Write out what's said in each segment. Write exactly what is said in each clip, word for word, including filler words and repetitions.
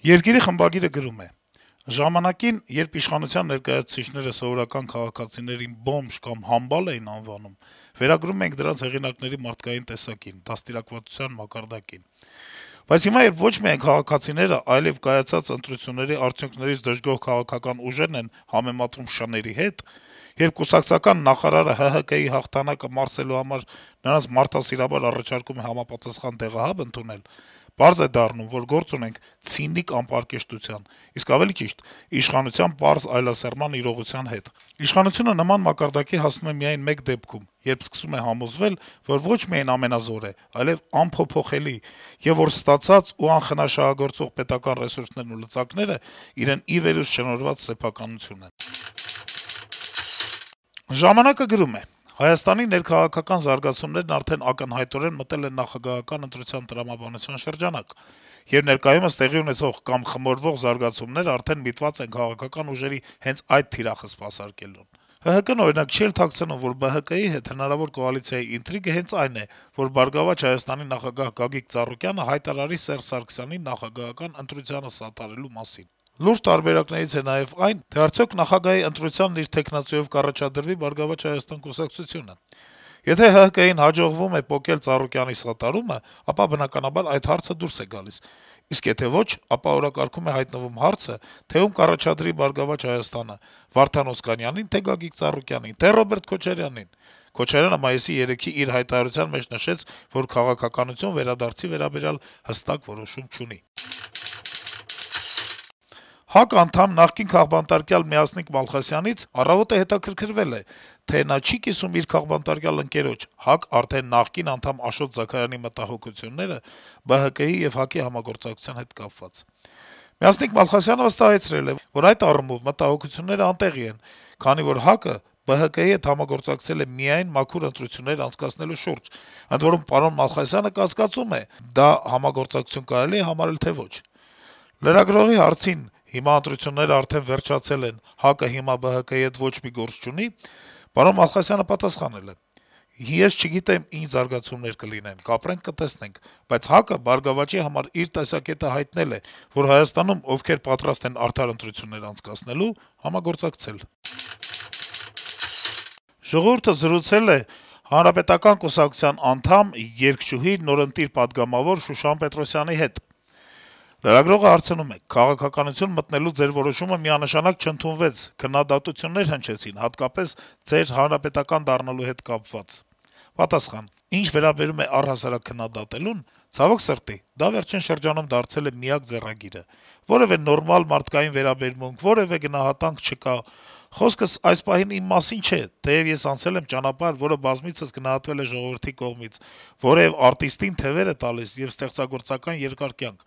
Երկիրի խմբագիրը գրում է. - «Ժամանակին, երբ իշխանության ներկայացուցիչները սովորական քաղաքացիներին բոմժ կամ համբալ էին անվանում, վերագրում էինք դրանց հեղինակների մարդկային տեսակին, դաստիարակվածության մակարդակին: Բայց հիմա, երբ ոչ միայն քաղաքացիները, այլեւ կայացած ընտրությունների արդյունքներից դժգոհ քաղաքական ուժերն են համեմատրում շների հետ, երբ կուսակցական նախարարը ՀՀԿ-ի հաղթանակը մարսելու համար նրանց մարդասիրաբար առաջարկում է համապատասխան դեղահաբ ընդունել, պարզ է դառնում, որ գործ ունենք ցինիկ անպարկեշտության, իսկ ավելի ճիշտ` իշխանության պարզ այլասերման իրողության հետ: Իշխանությունը նման մակարդակի հասնում է միայն մեկ դեպքում, երբ սկսում է համոզվել, որ ոչ միայն ամենազոր է, այլեւ անփոփոխելի, եւ որ ստացած ու անխնա շահագործվող պետական ռեսուրսներն ու լծակները իրեն ի վերուստ շնորհված սեփականություն են»: «Ժամանակ»-ը գրում է. - «Հայաստանի ներքաղաքական զարգացումներն արդեն ակնհայտորեն մտել են նախագահական ընտրության տրամաբանության շրջանակ, եւ ներկայումս տեղի ունեցող կամ խմորվող զարգացումներն արդեն միտված են քաղաքական ուժերի հենց այդ թիրախը սպասարկելուն: ՀՀԿ-ն, օրինակ, չի էլ թաքցնում, որ ԲՀԿ-ի հետ հնարավոր կոալիցիայի ինտրիգը հենց այն է, որ «Բարգավաճ Հայաստանի» նախագահ Գագիկ Ծառուկյանը հայտարարի Սերժ Սարգսյանին նախագահական ընտրությանը սատարելու մասին: Լուրջ տարբերակներից է նաեւ այն, թե արդյոք նախագահի ընտրությանն իր թեկնածուով կառաջադրվի «Բարգավաճ Հայաստան» կուսակցությունը: Եթե ՀՀԿ-ին հաջողվում է պոկել Ծառուկյանի սատարումը, ապա, բնականաբար, այդ հարցը դուրս է գալիս, իսկ եթե ոչ, ապա օրակարգում է հայտնվում հարցը, թե ում կառաջադրի «Բարգավաճ Հայաստանը»` Վարդան Օսկանյանի՞ն, թե Գագիկ Ծառուկյանի՞ն, թե Ռոբերտ Քոչարյանի՞ն: Քոչարյանը մայիսի երեքի իր հայտարարության մեջ նշեց, որ քաղաքականություն վերադարձի վերաբերյալ հստակ որոշում չունի»: ՀԱԿ անդամ, նախկին քաղբանտարկյալ Մյասնիկ Մալխասյանից «Առավոտ»-ը հետաքրքրվել է, թե նա չի՞ կիսում իր քաղբանտարկյալ ընկերոջ` ՀԱԿ արդեն նախկին անդամ Աշոտ Զաքարյանի մտահոգությունները ԲՀԿ-ի եւ ՀԱԿ-ի համագործակցության հետ կապված: Մյասնիկ Մալխասյանը վստահեցրել է, որ այդ առումով մտահոգություններն անտեղի են, քանի որ ՀԱԿ-ը ԲՀԿ-ի հետ համագործակցել է միայն մաքուր ընտրություններ անցկացնելու շուրջ, ընդ որում, պարոն Մալխասյանը կասկածում է` դա համագործակցություն կարելի է համարել, թե ոչ: Լրագրողի հարցին` հիմա ընտրություններն արդեն վերջացել են, ՀԱԿ-ը հիմա ԲՀԿ-ի հետ ոչ մի գործ չունի, պարոն Մալխասյանը պատասխանել է. - «Ես չգիտեմ ինչ զարգացումներ կլինեն, կապրենք, կտեսնենք, բայց ՀԱԿ-ը «Բարգավաճի» համար իր տեսակետը հայտնել է, որ Հայաստանում ովքեր պատրաստ են արդար ընտրություններ անցկացնելու, համագործակցել»: «Ժողովուրդ»-ը զրուցել է Հանրապետական կուսակցության անդամ, երգչուհի, նորընտիր պատգամավոր Շուշան Պետրոսյանի հետ: Լրագրողը հարցնում է. - «Քաղաքականություն մտնելու ձեր որոշումը միանշանակ չընդունվեց, քննադատություններ հնչեցին, հատկապես ձեր հանրապետական դառնալու հետ կապված»: Պատասխան. - «Ինչ վերաբերում է առհասարակ քննադատելուն, ցավոք սրտի, դա վերջին շրջանում դարձել է միակ ձեռագիրը: Որեւէ նորմալ մարդկային վերաբերմունք, որեւէ գնահատանք չկա: Խոսքս այս պահին իմ մասին չէ, թեեւ ես անցել եմ ճանապարհ, որը բազմիցս գնահատվել է ժողովրդի կողմից, որը արտիստին թեւեր է տալիս եւ ստեղծագործական երկար կյանք: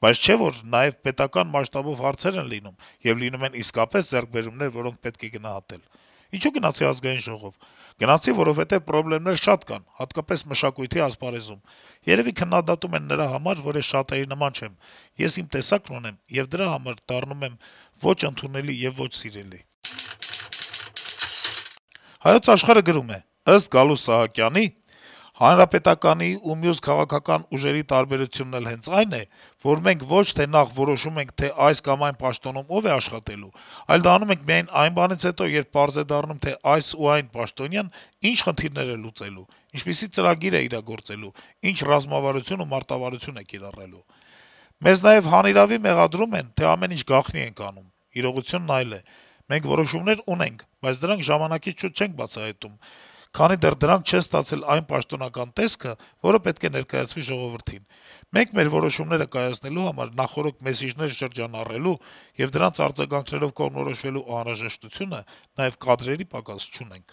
Բայց չէ՞ որ նաեւ պետական մասշտաբով հարցեր են լինում, եւ լինում են իսկապես ձեռքբերումներ, որոնք պետք է գնահատել: Ինչո՞ւ գնացի Ազգային ժողով: Գնացի, որովհետեւ պրոբլեմներ շատ կան, հատկապես մշակույթի ասպարեզում: Երեւի քննադատում են նրա համար, որ ես շատերի նման չեմ: Ես իմ տեսակն ունեմ, եւ դրա համար դառնում եմ ոչ ընդունելի եւ ոչ սիրելի»: «Հայոց Աշխարհ»-ը գրում է. - «Ըստ Գալուստ Սահակյանի, ՀՀԿ-ի ու մյուս քաղաքական ուժերի տարբերությունն էլ հենց այն է, որ մենք ոչ թե նախ որոշում ենք, թե այս կամ այն պաշտոնում ով է աշխատելու, այլ դա անում ենք միայն այն բանից հետո, երբ պարզ է դառնում, թե այս ու այն պաշտոնյան ինչ խնդիրներ է լուծելու, ինչպիսի ծրագիր է իրագործելու, ինչ ռազմավարություն ու մարտավարություն է կիրառելու: Մեզ նաեւ հանիրավի մեղադրում են, թե ամեն ինչ գաղտնի ենք անում: Իրողությունն այլ է: Մենք որոշումներ ունենք, բայց դրանք ժամանակից շուտ չենք բացահայտում, քանի դեռ դրանք չեն ստացել այն պաշտոնական տեսքը, որը պետք է ներկայացվի ժողովրդին: Մենք մեր որոշումները կայացնելու համար նախօրոք մեսիջներ շրջանառելու եւ դրանց արձագանքներով կողմնորոշվելու անհրաժեշտությունը, նաեւ կադրերի պակաս չունենք»: